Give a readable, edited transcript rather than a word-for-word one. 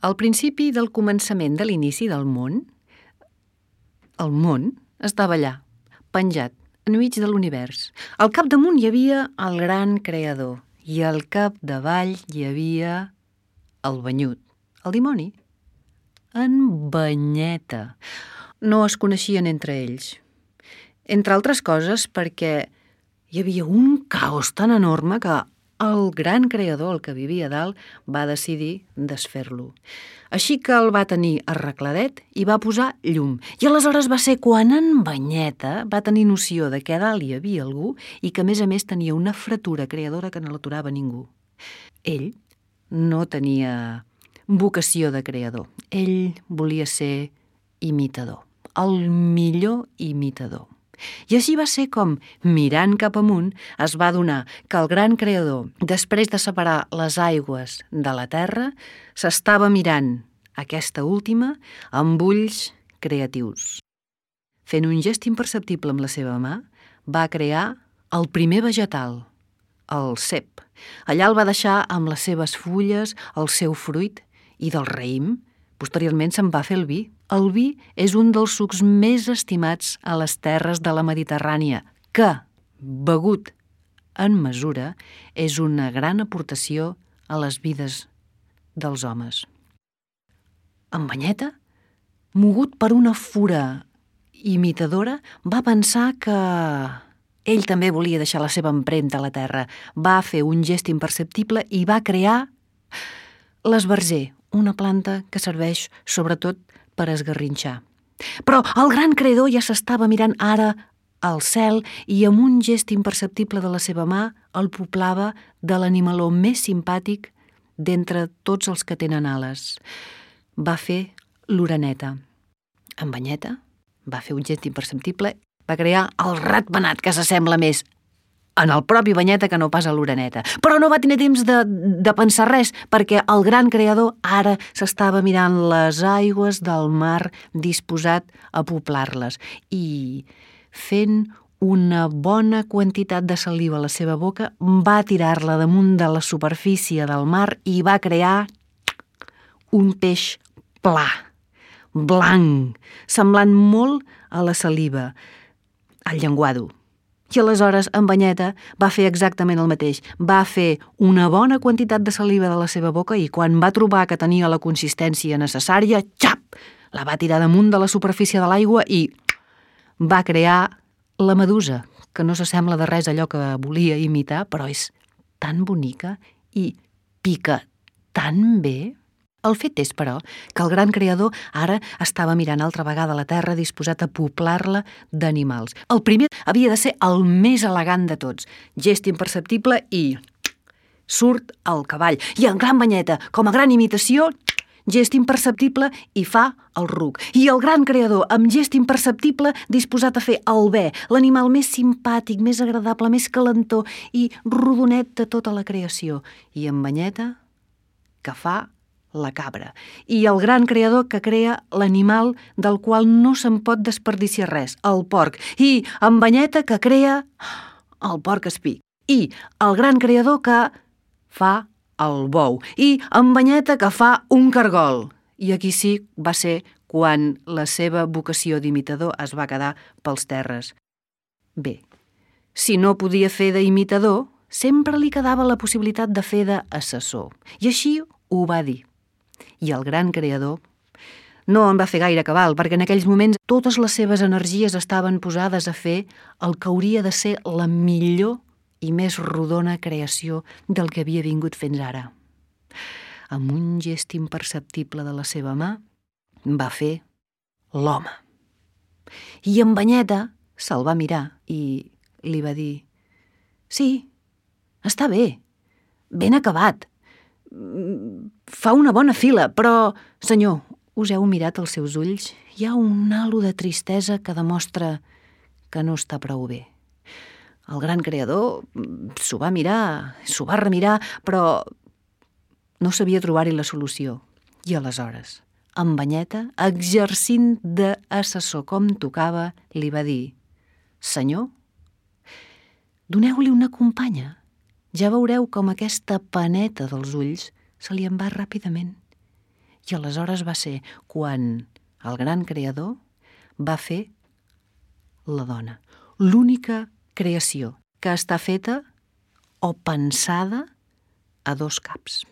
Al principi del començament de l'inici del món, el món estava allà, penjat, enmig de l'univers. Al capdamunt hi havia el gran creador i al capdavall hi havia el banyut, el dimoni, en Banyeta. No es coneixien entre ells. Entre altres coses perquè hi havia un caos tan enorme que el gran creador, el que vivia a dalt, va decidir desfer-lo. Així que el va tenir arregladet i va posar llum. I aleshores va ser quan en Banyeta va tenir noció de que a dalt hi havia algú i que a més tenia una fretura creadora que no l'aturava ningú. Ell no tenia vocació de creador. Ell volia ser imitador, el millor imitador. I així va ser com, mirant cap amunt, es va adonar que el gran creador, després de separar les aigües de la terra, s'estava mirant aquesta última amb ulls creatius. Fent un gest imperceptible amb la seva mà, va crear el primer vegetal, el cep. Allà el va deixar amb les seves fulles, el seu fruit, i del raïm, posteriorment se'n va fer el vi. El vi és un dels sucs més estimats a les terres de la Mediterrània, que, begut en mesura, és una gran aportació a les vides dels homes. En Banyeta, mogut per una fura imitadora, va pensar que ell també volia deixar la seva empremta a la terra. Va fer un gest imperceptible i va crear l'esbarzer, una planta que serveix sobretot per esgarrinxar. Però el gran creador ja s'estava mirant ara al cel i amb un gest imperceptible de la seva mà el poblava de l'animaló més simpàtic d'entre tots els que tenen ales. Va fer l'oreneta. En Banyeta va fer un gest imperceptible, va crear el ratpenat, que s'assembla més en el propi Banyeta que no pas a l'oreneta. Però no va tenir temps de pensar res, perquè el gran creador ara s'estava mirant les aigües del mar disposat a poblar-les i, fent una bona quantitat de saliva a la seva boca, va tirar-la damunt de la superfície del mar i va crear un peix pla, blanc, semblant molt a la saliva, al llenguado. I aleshores en Banyeta va fer exactament el mateix. Va fer una bona quantitat de saliva de la seva boca i quan va trobar que tenia la consistència necessària, xap! La va tirar damunt de la superfície de l'aigua i va crear la medusa, que no s'assembla de res a allò que volia imitar, però és tan bonica i pica tan bé. El fet és, però, que el gran creador ara estava mirant altra vegada la terra disposat a poblar-la d'animals. El primer havia de ser el més elegant de tots. Gest imperceptible i surt el cavall. I en gran Banyeta, com a gran imitació, gest imperceptible i fa el ruc. I el gran creador, amb gest imperceptible, disposat a fer el bé, l'animal més simpàtic, més agradable, més calentó i rodonet de tota la creació. I en Banyeta, que fa la cabra, i el gran creador que crea l'animal del qual no se'n pot desperdiciar res, el porc, i en Banyeta que crea el porc espí, i el gran creador que fa el bou, i en Banyeta que fa un cargol. I aquí sí va ser quan la seva vocació d'imitador es va quedar pels terres. Bé, si no podia fer d'imitador, sempre li quedava la possibilitat de fer d'assessor, i així ho va dir. I el gran creador, no en va fer gaire cabal, perquè en aquells moments totes les seves energies estaven posades a fer el que hauria de ser la millor i més rodona creació del que havia vingut fins ara. Amb un gest imperceptible de la seva mà, va fer l'home. I en Banyeta se'l va mirar i li va dir: «Sí, està bé, ben acabat. Fa una bona fila, però, senyor, us heu mirat als seus ulls? Hi ha un halo de tristesa que demostra que no està prou bé». El gran creador s'ho va mirar, s'ho va remirar, però no sabia trobar-hi la solució. I aleshores, en Banyeta, exercint d'assessor com tocava, li va dir: «Senyor, doneu-li una companya. Ja veureu com aquesta paneta dels ulls se li en va ràpidament». I aleshores va ser quan el gran creador va fer la dona, l'única creació que està feta o pensada a dos caps.